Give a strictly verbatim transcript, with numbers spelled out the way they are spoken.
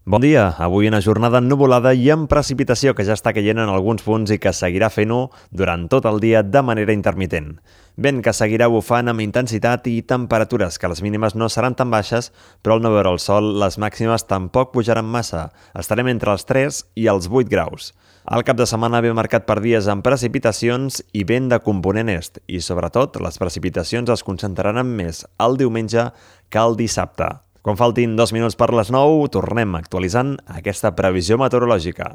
Bon dia, avui una jornada ennuvolada i amb precipitació que ja està caient en alguns punts i que seguirà fent-ho durant tot el dia de manera intermitent. Vent que seguirà bufant amb intensitat i temperatures que les mínimes no seran tan baixes, però al no veure el sol les màximes tampoc pujaran massa. Estarem entre els tres i els vuit graus. El cap de setmana ve marcat per dies amb precipitacions i vent de component est i, sobretot, les precipitacions es concentraran més el diumenge que el dissabte. Quan faltin dos minuts per les nou, tornem actualitzant aquesta previsió meteorològica.